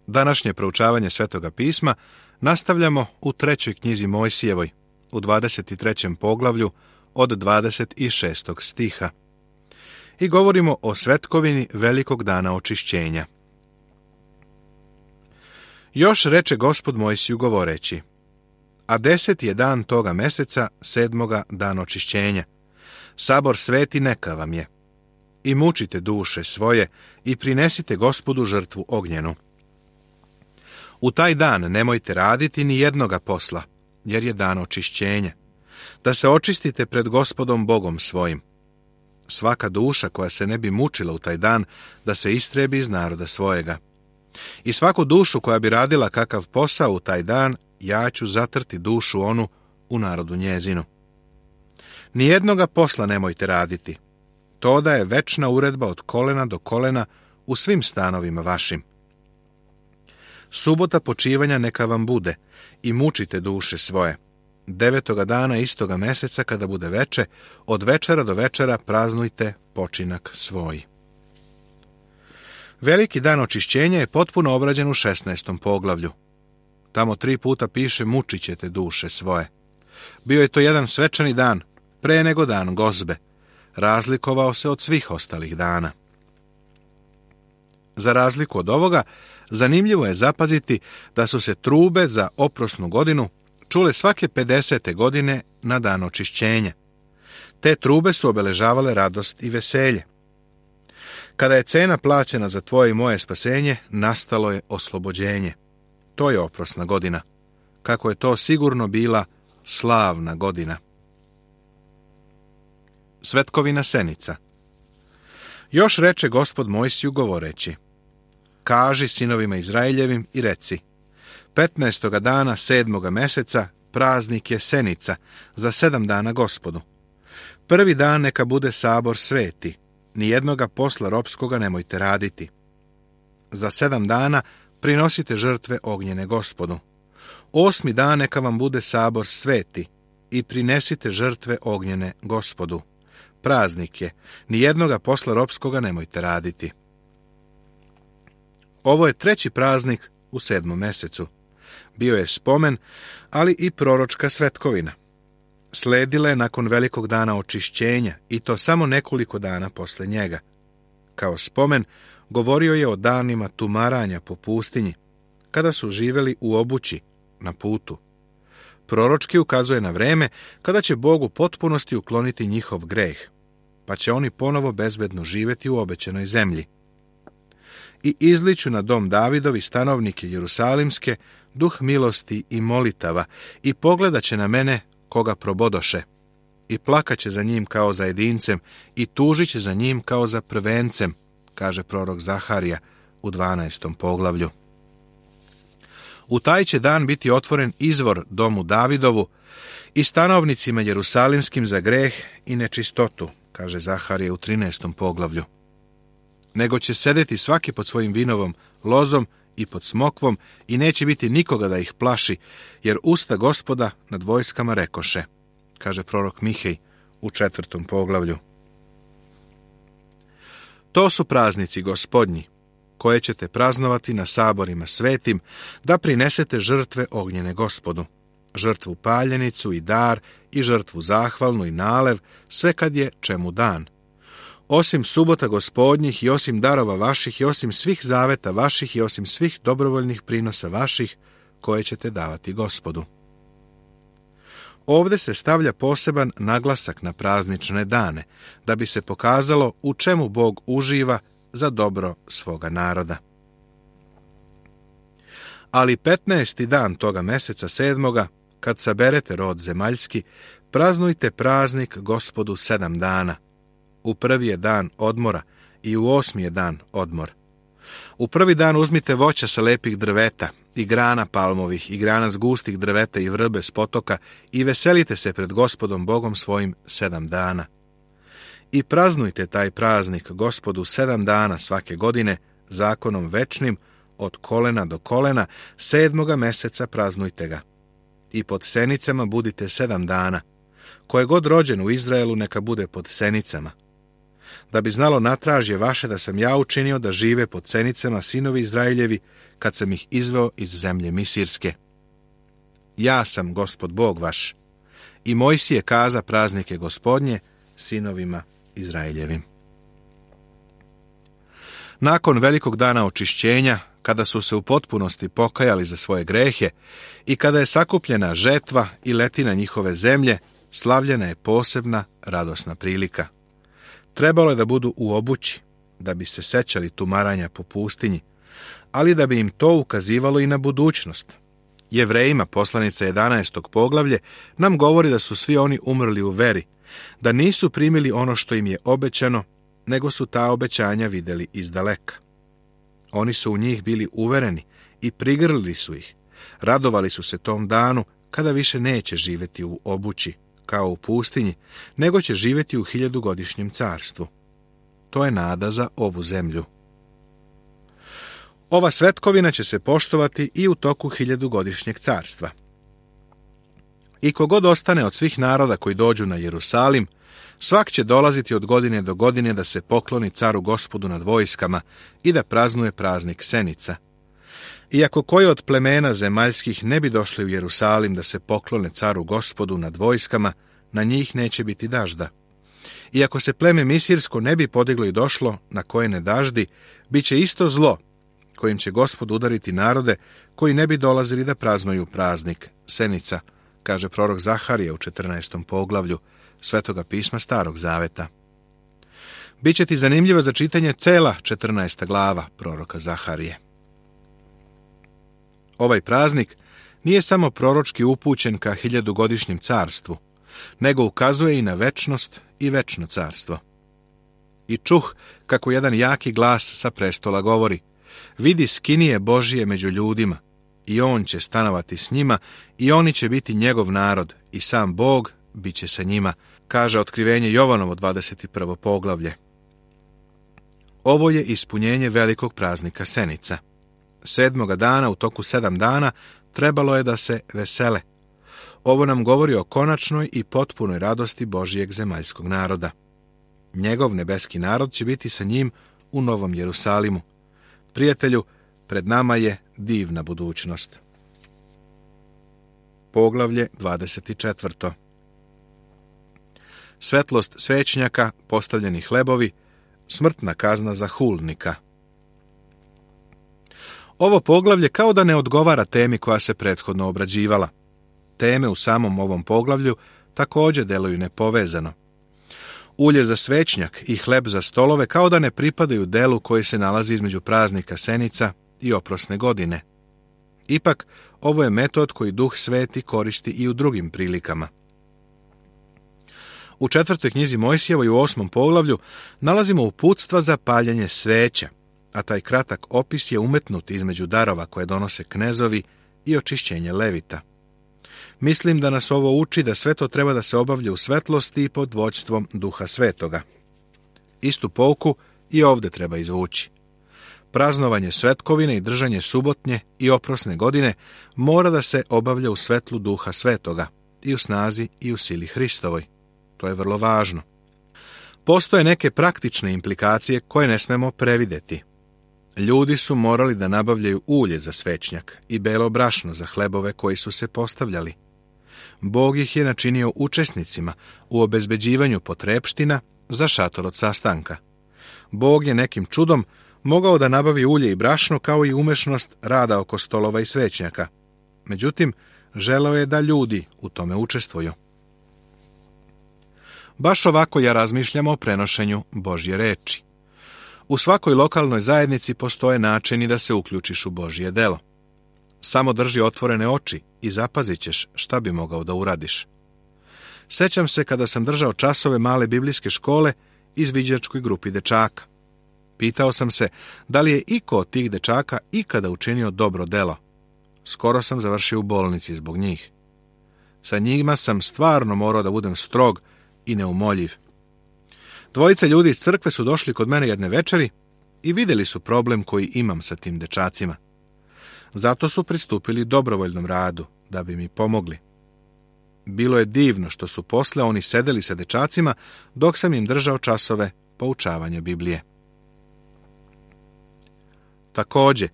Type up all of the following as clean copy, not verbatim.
Današnje proučavanje Svetoga pisma nastavljamo u 3. knjizi Mojsijevoj, u 23. poglavlju od 26. stiha. I govorimo o svetkovini velikog dana očišćenja. Još reče Gospod Mojsiju govoreći: a 10. je dan toga meseca, 7. dan očišćenja. Sabor sveti neka vam je. I mučite duše svoje i prinesite Gospodu žrtvu ognjenu. U taj dan nemojte raditi ni jednoga posla, jer je dan očišćenja, da se očistite pred Gospodom Bogom svojim. Svaka duša koja se ne bi mučila u taj dan, da se istrebi iz naroda svojega. I svaku dušu koja bi radila kakav posao u taj dan, ja ću zatrti dušu onu u narodu njezinu. Nijednoga posla nemojte raditi. To da je večna uredba od kolena do kolena u svim stanovima vašim. Subota počivanja neka vam bude i mučite duše svoje. 9. dana istoga meseca kada bude veče, od večera do večera praznujte počinak svoj. Veliki dan očišćenja je potpuno obrađen u 16. poglavlju. Tamo 3 puta piše mučit ćete duše svoje. Bio je to jedan svečani dan, pre nego dan gozbe. Razlikovao se od svih ostalih dana. Za razliku od ovoga, zanimljivo je zapaziti da su se trube za oprosnu godinu čule svake 50. godine na dan očišćenja. Te trube su obeležavale radost i veselje. Kada je cena plaćena za tvoje i moje spasenje, nastalo je oslobođenje. To je oprosna godina. Kako je to sigurno bila slavna godina. Svetkovina Senica. Još reče Gospod Mojsiju govoreći: kaži sinovima Izraeljevim i reci: 15. dana 7. meseca praznik je Senica, za 7 dana Gospodu. Prvi dan neka bude sabor sveti, nijednoga posla ropskoga nemojte raditi. Za 7 dana prinosite žrtve ognjene Gospodu. 8. dan neka vam bude sabor sveti i prinesite žrtve ognjene Gospodu. Praznik je, nijednoga posla ropskoga nemojte raditi. Ovo je 3. praznik u 7. mesecu. Bio je spomen, ali i proročka svetkovina. Sledila je nakon velikog dana očišćenja i to samo nekoliko dana posle njega. Kao spomen govorio je o danima tumaranja po pustinji, kada su živjeli u obući, na putu. Proročki ukazuje na vreme kada će Bog u potpunosti ukloniti njihov greh, pa će oni ponovo bezbedno živjeti u obećanoj zemlji. I izliću na dom Davidovi stanovnike Jerusalimske duh milosti i molitava i pogledat će na mene koga probodoše i plakaće za njim kao za jedincem i tužit će za njim kao za prvencem, kaže prorok Zaharija u 12. poglavlju. U taj će dan biti otvoren izvor domu Davidovu i stanovnicima Jerusalimskim za greh i nečistotu, kaže Zaharija u 13. poglavlju. Nego će sedeti svaki pod svojim vinovom lozom i pod smokvom i neće biti nikoga da ih plaši, jer usta Gospoda nad vojskama rekoše, kaže prorok Mihej u 4. poglavlju. To su praznici Gospodnji, koje ćete praznovati na saborima svetim, da prinesete žrtve ognjene Gospodu, žrtvu paljenicu i dar i žrtvu zahvalnu i nalev, sve kad je čemu dan. Osim subota Gospodnjih i osim darova vaših i osim svih zaveta vaših i osim svih dobrovoljnih prinosa vaših, koje ćete davati Gospodu. Ovdje se stavlja poseban naglasak na praznične dane, da bi se pokazalo u čemu Bog uživa za dobro svoga naroda. Ali 15. dan toga meseca 7. kad saberete rod zemaljski, praznujte praznik Gospodu 7 dana. U 1. je dan odmora i u 8. je dan odmor. U 1. dan uzmite voća sa lepih drveta i grana palmovih i grana s gustih drveta i vrbe s potoka i veselite se pred Gospodom Bogom svojim 7 dana. I praznujte taj praznik Gospodu 7 dana svake godine, zakonom večnim, od kolena do kolena, 7. meseca praznujte ga. I pod senicama budite 7 dana. Ko je god rođen u Izraelu, neka bude pod senicama. da bi znalo natražje vaše da sam ja učinio da žive pod cenicama sinovi Izraeljevi, kad sam ih izveo iz zemlje Misirske. Ja sam Gospod Bog vaš. I Mojsije kaza praznike Gospodnje sinovima Izraeljevim. Nakon velikog dana očišćenja, kada su se u potpunosti pokajali za svoje grehe i kada je sakupljena žetva i letina njihove zemlje, slavljena je posebna radosna prilika. Trebalo je da budu u obući, da bi se sećali tumaranja po pustinji, ali da bi im to ukazivalo i na budućnost. Jevrejima, poslanica 11. poglavlje, nam govori da su svi oni umrli u veri, da nisu primili ono što im je obećano, nego su ta obećanja vidjeli izdaleka. Oni su u njih bili uvereni i prigrlili su ih. Radovali su se tom danu kada više neće živjeti u obući, kao u pustinji, nego će živjeti u 1000-godišnjem carstvu. To je nada za ovu zemlju. Ova svetkovina će se poštovati i u toku 1000-godišnjeg carstva. I kogod ostane od svih naroda koji dođu na Jerusalim, svak će dolaziti od godine do godine da se pokloni caru Gospodu nad vojskama i da praznuje praznik Senica. Iako koji od plemena zemaljskih ne bi došli u Jerusalim da se poklone caru Gospodu nad vojskama, na njih neće biti dažda. Iako se pleme Misirsko ne bi podiglo i došlo, na koje ne daždi, bit će isto zlo, kojim će Gospod udariti narode koji ne bi dolazili da praznuju praznik Senica, kaže prorok Zaharije u 14. poglavlju Svetoga pisma Starog Zaveta. Biće ti zanimljivo za čitanje cela 14. glava proroka Zaharije. Ovaj praznik nije samo proročki upućen ka 1000-godišnjem carstvu, nego ukazuje i na večnost i večno carstvo. I čuh kako jedan jaki glas sa prestola govori: vidi skinije Božije među ljudima, i on će stanovati s njima, i oni će biti njegov narod, i sam Bog bit će sa njima, kaže Otkrivenje Jovanovo 21. poglavlje. Ovo je ispunjenje velikog praznika Senica. 7. dana u toku 7 dana trebalo je da se vesele. Ovo nam govori o konačnoj i potpunoj radosti Božijeg zemaljskog naroda. Njegov nebeski narod će biti sa njim u Novom Jerusalimu. Prijatelju, pred nama je divna budućnost. Poglavlje 24. Svetlost svećnjaka, postavljeni hlebovi, smrtna kazna za hulnika. Ovo poglavlje kao da ne odgovara temi koja se prethodno obrađivala. Teme u samom ovom poglavlju također deluju nepovezano. Ulje za svećnjak i hleb za stolove kao da ne pripadaju delu koji se nalazi između praznika Senica i oprosne godine. Ipak, ovo je metod koji Duh Sveti koristi i u drugim prilikama. U 4. knjizi Mojsijevoj u 8. poglavlju nalazimo uputstva za paljenje sveća, a taj kratak opis je umetnut između darova koje donose knezovi i očišćenje levita. Mislim da nas ovo uči da sve to treba da se obavlja u svetlosti i pod vođstvom Duha Svetoga. Istu pouku i ovdje treba izvući. Praznovanje svetkovine i držanje subotnje i oprosne godine mora da se obavlja u svetlu Duha Svetoga i u snazi i u sili Hristovoj. To je vrlo važno. Postoje neke praktične implikacije koje ne smemo prevideti. Ljudi su morali da nabavljaju ulje za svećnjak i belo brašno za hlebove koji su se postavljali. Bog ih je načinio učesnicima u obezbeđivanju potrepština za šator od sastanka. Bog je nekim čudom mogao da nabavi ulje i brašno kao i umešnost rada oko stolova i svećnjaka. Međutim, želeo je da ljudi u tome učestvuju. Baš ovako ja razmišljam o prenošenju Božje reči. U svakoj lokalnoj zajednici postoje načini da se uključiš u Božje delo. Samo drži otvorene oči i zapazit ćeš šta bi mogao da uradiš. Sećam se kada sam držao časove male biblijske škole izviđačkoj grupi dečaka. Pitao sam se da li je iko od tih dečaka ikada učinio dobro delo. Skoro sam završio u bolnici zbog njih. Sa njima sam stvarno morao da budem strog i neumoljiv. Dvojica ljudi iz crkve su došli kod mene jedne večeri i vidjeli su problem koji imam sa tim dečacima. Zato su pristupili dobrovoljnom radu, da bi mi pomogli. Bilo je divno što su posle oni sedeli sa dečacima dok sam im držao časove poučavanja Biblije. Također,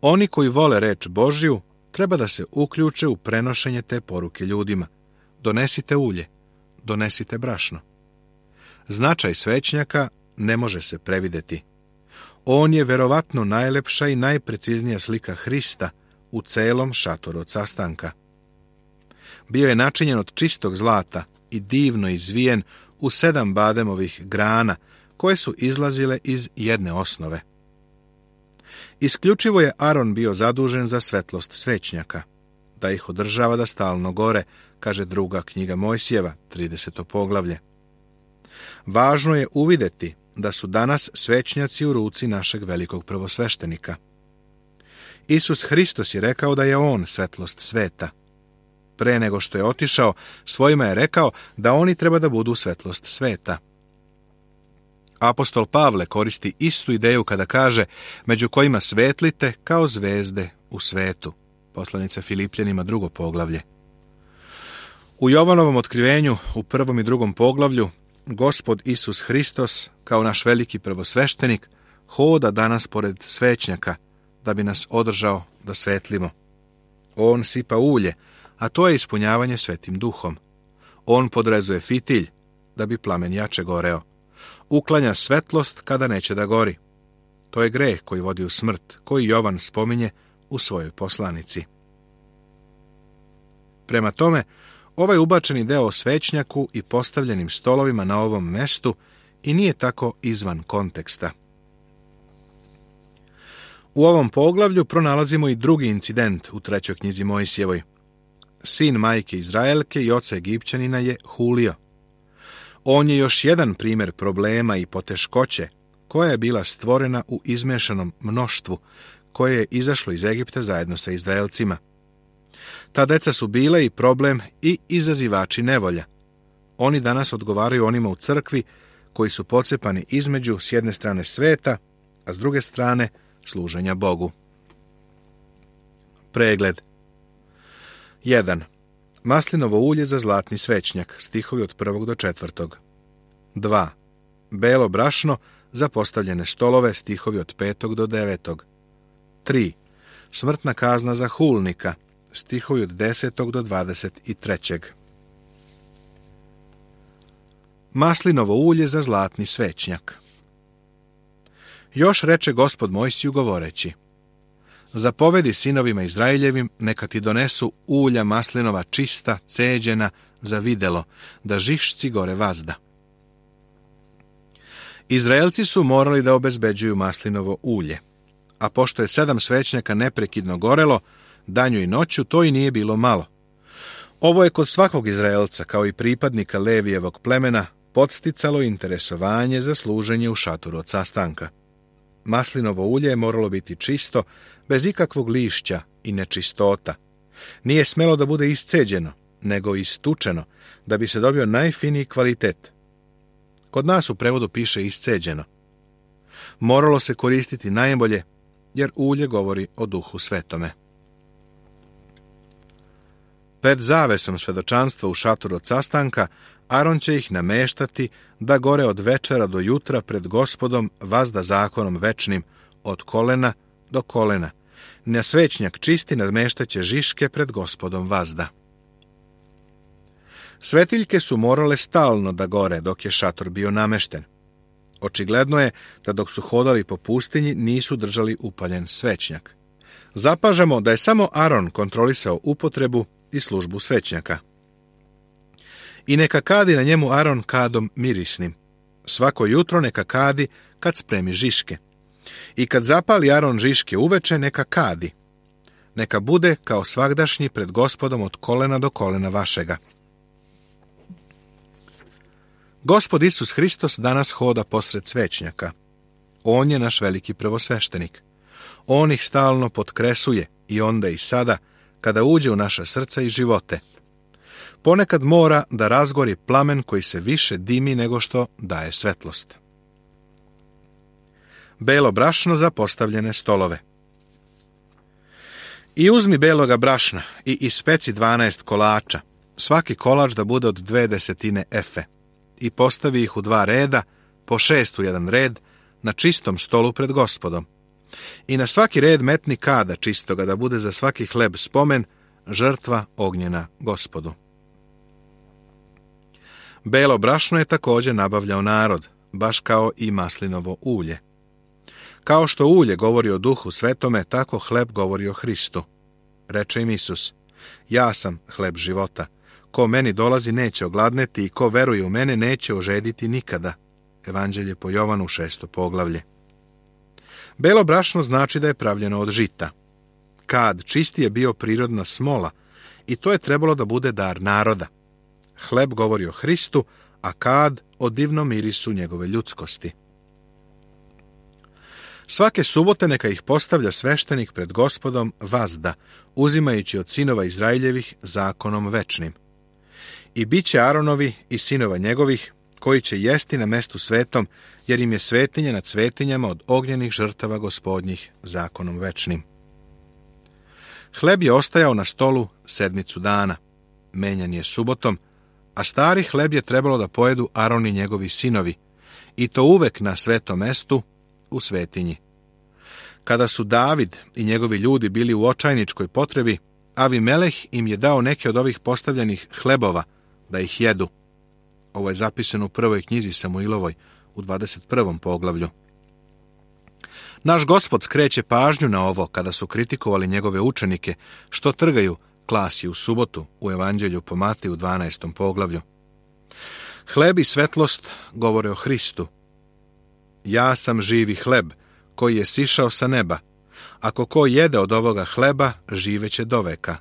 oni koji vole reč Božju treba da se uključe u prenošenje te poruke ljudima. Donesite ulje, donesite brašno. Značaj svećnjaka ne može se prevideti. On je verovatno najlepša i najpreciznija slika Hrista u celom šatoru od sastanka. Bio je načinjen od čistog zlata i divno izvijen u 7 bademovih grana koje su izlazile iz jedne osnove. Isključivo je Aron bio zadužen za svetlost svećnjaka, da ih održava da stalno gore, kaže druga knjiga Mojsijeva, 30. poglavlje. Važno je uvideti da su danas svećnjaci u ruci našeg velikog prvosveštenika. Isus Hristos je rekao da je on svetlost sveta. Pre nego što je otišao, svojima je rekao da oni treba da budu svetlost sveta. Apostol Pavle koristi istu ideju kada kaže među kojima svetlite kao zvezde u svetu. Poslanica Filipljanima 2. poglavlje. U Jovanovom otkrivenju u 1. i 2. poglavlju Gospod Isus Hristos, kao naš veliki prvosveštenik, hoda danas pored svećnjaka da bi nas održao da svetlimo. On sipa ulje, a to je ispunjavanje Svetim Duhom. On podrezuje fitilj da bi plamen jače goreo. Uklanja svetlost kada neće da gori. To je greh koji vodi u smrt, koji Jovan spominje u svojoj poslanici. Prema tome, ovaj ubačeni deo o svećnjaku i postavljenim stolovima na ovom mestu i nije tako izvan konteksta. U ovom poglavlju pronalazimo i drugi incident u 3. knjizi Mojsijevoj. Sin majke Izraelke i oca Egipćanina je hulio. On je još jedan primjer problema i poteškoće koja je bila stvorena u izmešanom mnoštvu koje je izašlo iz Egipta zajedno sa Izraelcima. Ta deca su bile i problem i izazivači nevolja. Oni danas odgovaraju onima u crkvi koji su pocepani između s jedne strane sveta, a s druge strane služenja Bogu. Pregled. 1. Maslinovo ulje za zlatni svećnjak, stihovi od 1. do 4. 2. Belo brašno za postavljene stolove, stihovi od 5. do 9. 3. Smrtna kazna za hulnika, stihovi od 10. do 23. Maslinovo ulje za zlatni svećnjak. Još reče Gospod Mojsiju govoreći: Zapovedi sinovima Izraeljevim, neka ti donesu ulja maslinova čista, ceđena, za videlo, da žišci gore vazda. Izraelci su morali da obezbeđuju maslinovo ulje, a pošto je 7 svećnjaka neprekidno gorelo, danju i noću, to i nije bilo malo. Ovo je kod svakog Izraelca, kao i pripadnika Levijevog plemena, podsticalo interesovanje za služenje u šatoru od sastanka. Maslinovo ulje je moralo biti čisto, bez ikakvog lišća i nečistota. Nije smelo da bude isceđeno, nego istučeno, da bi se dobio najfiniji kvalitet. Kod nas u prevodu piše isceđeno. Moralo se koristiti najbolje, jer ulje govori o Duhu Svetome. Pred zavesom svedočanstva u šatoru od sastanka, Aron će ih nameštati da gore od večera do jutra pred Gospodom vazda zakonom večnim, od kolena do kolena. Na svećnjak čisti nameštaće žiške pred Gospodom vazda. Svetiljke su morale stalno da gore dok je šator bio namešten. Očigledno je da dok su hodali po pustinji nisu držali upaljen svećnjak. Zapažamo da je samo Aron kontrolisao upotrebu i službu svećnjaka. I neka kadi na njemu Aron kadom mirisnim. Svako jutro neka kadi kad spremi žiške. I kad zapali Aron žiške uveče, neka kadi. Neka bude kao svagdašnji pred Gospodom od kolena do kolena vašega. Gospod Isus Hristos danas hoda posred svećnjaka. On je naš veliki prvosveštenik. On ih stalno potkresuje i onda i sada, kada uđe u naša srca i živote. Ponekad mora da razgori plamen koji se više dimi nego što daje svetlost. Belo brašno za postavljene stolove. I uzmi beloga brašna i ispeci 12 kolača, svaki kolač da bude od 0,2 efe, i postavi ih u 2 reda, po 6 u jedan red, na čistom stolu pred Gospodom. I na svaki red metni kada čistoga, da bude za svaki hleb spomen, žrtva ognjena Gospodu. Belo brašno je također nabavljao narod, baš kao i maslinovo ulje. Kao što ulje govori o Duhu Svetome, tako hleb govori o Hristu. Reče im Isus: ja sam hleb života. Ko meni dolazi neće ogladneti i ko veruje u mene neće ožediti nikada. Evanđelje po Jovanu 6. poglavlje. Belo brašno znači da je pravljeno od žita. Kad čisti je bio prirodna smola i to je trebalo da bude dar naroda. Hleb govori o Hristu, a kad o divnom mirisu njegove ljudskosti. Svake subote neka ih postavlja sveštenik pred Gospodom vazda, uzimajući od sinova Izraeljevih zakonom večnim. I bit će Aronovi i sinova njegovih, koji će jesti na mestu svetom, jer im je svetinja nad svetinjama od ognjenih žrtava Gospodnjih zakonom večnim. Hleb je ostajao na stolu 7 dana, menjan je subotom, a stari hleb je trebalo da pojedu Aron i njegovi sinovi, i to uvek na svetom mestu u svetinji. Kada su David i njegovi ljudi bili u očajničkoj potrebi, Avimeleh im je dao neke od ovih postavljenih hlebova da ih jedu. Ovo je zapisano u prvoj knjizi Samuilovoj, u 21. poglavlju. Naš Gospod skreće pažnju na ovo kada su kritikovali njegove učenike, što trgaju klasi u subotu, u Evanđelju po Matiju u 12. poglavlju. Hleb i svetlost govore o Hristu. Ja sam živi hleb, koji je sišao sa neba. Ako ko jede od ovoga hleba, živeće doveka.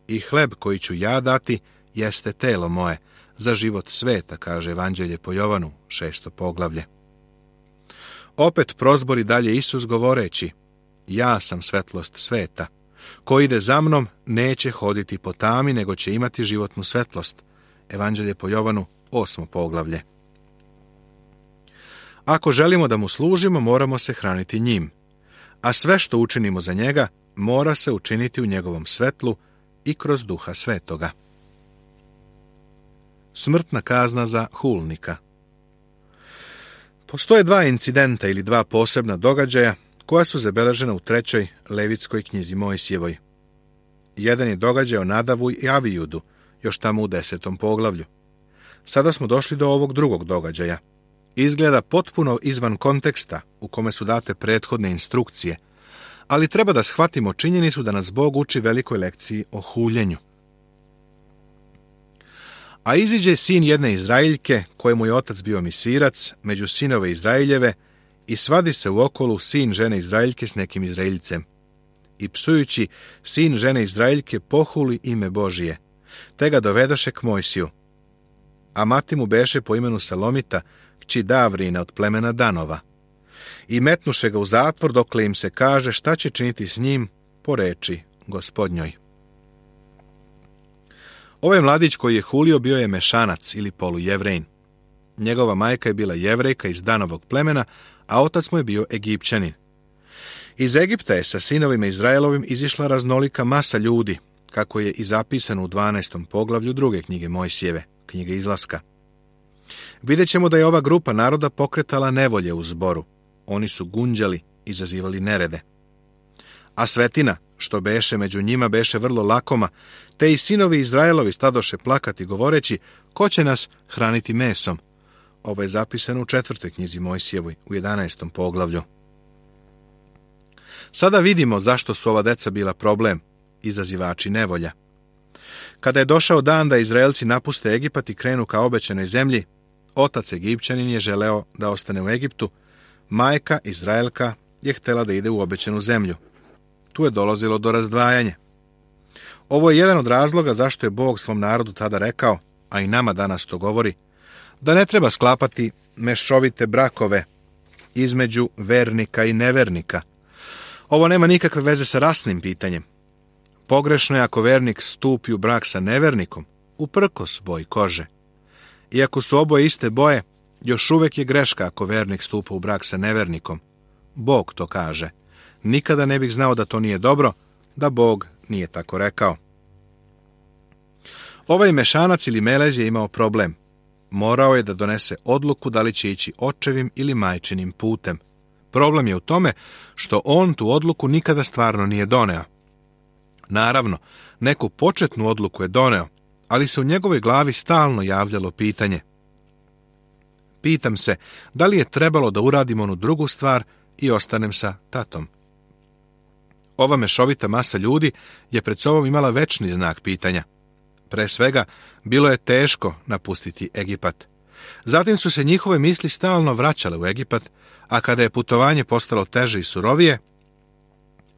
I hleb koji ću ja dati, jeste telo moje, za život sveta, kaže Evanđelje po Jovanu, 6. poglavlje. Opet prozbori dalje Isus govoreći: ja sam svetlost sveta. Ko ide za mnom, neće hoditi po tami, nego će imati životnu svetlost. Evanđelje po Jovanu, 8. poglavlje. Ako želimo da mu služimo, moramo se hraniti njim, a sve što učinimo za njega, mora se učiniti u njegovom svetlu i kroz Duha Svetoga. Smrtna kazna za hulnika. Postoje 2 incidenta ili 2 posebna događaja koja su zabeležena u 3. Levitskoj knjizi Mojsijevoj. Jedan je događaj o Nadavu i Avijudu, još tamo u 10. poglavlju. Sada smo došli do ovog drugog događaja. Izgleda potpuno izvan konteksta u kome su date prethodne instrukcije, ali treba da shvatimo činjenicu da nas Bog uči velikoj lekciji o huljenju. A iziđe sin jedne Izraeljke, kojemu je otac bio misirac, među sinove Izraeljeve, i svadi se u okolu sin žene Izraeljke s nekim Izraeljcem. I psujući, sin žene Izraeljke pohuli ime Božije, te ga dovedaše k Mojsiju. A mati mu beše po imenu Salomita, kći Davrina od plemena Danova. I metnuše ga u zatvor, dokle im se kaže šta će činiti s njim po reči Gospodnjoj. Ovaj mladić koji je hulio bio je Mešanac ili polujevrejin. Njegova majka je bila Jevrejka iz Danovog plemena, a otac mu je bio Egipćanin. Iz Egipta je sa sinovima Izraelovim izišla raznolika masa ljudi, kako je i zapisano u 12. poglavlju 2. knjige Mojsijeve, knjige Izlaska. Vidjet ćemo da je ova grupa naroda pokretala nevolje u zboru. Oni su gunđali, izazivali nerede. A svetina, što beše među njima, beše vrlo lakoma, te i sinovi Izraelovi stadoše plakati govoreći: ko će nas hraniti mesom? Ovo je zapisano u 4. knjizi Mojsijevoj, u 11. poglavlju. Sada vidimo zašto su ova deca bila problem, izazivači nevolja. Kada je došao dan da Izraelci napuste Egipat i krenu ka obećanoj zemlji, otac Egipćanin je želeo da ostane u Egiptu, majka Izraelka je htela da ide u obećanu zemlju. Tu je dolazilo do razdvajanja. Ovo je jedan od razloga zašto je Bog svom narodu tada rekao, a i nama danas to govori, da ne treba sklapati mešovite brakove između vernika i nevernika. Ovo nema nikakve veze sa rasnim pitanjem. Pogrešno je ako vernik stupi u brak sa nevernikom, uprkos boji kože. Iako su oboje iste boje, još uvek je greška ako vernik stupa u brak sa nevernikom. Bog to kaže. Nikada ne bih znao da to nije dobro, da Bog nije tako rekao. Ovaj Mešanac ili Melez je imao problem. Morao je da donese odluku da li će ići očevim ili majčinim putem. Problem je u tome što on tu odluku nikada stvarno nije doneo. Naravno, neku početnu odluku je doneo, ali se u njegovoj glavi stalno javljalo pitanje. Pitam se, da li je trebalo da uradim onu drugu stvar i ostanem sa tatom? Ova mešovita masa ljudi je pred sobom imala večni znak pitanja. Pre svega, bilo je teško napustiti Egipat. Zatim su se njihove misli stalno vraćale u Egipat, a kada je putovanje postalo teže i surovije,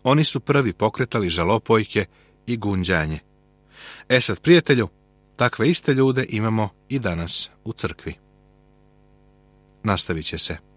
oni su prvi pokretali žalopojke i gunđanje. Sad, prijatelju, takve iste ljude imamo i danas u crkvi. Nastavit će se.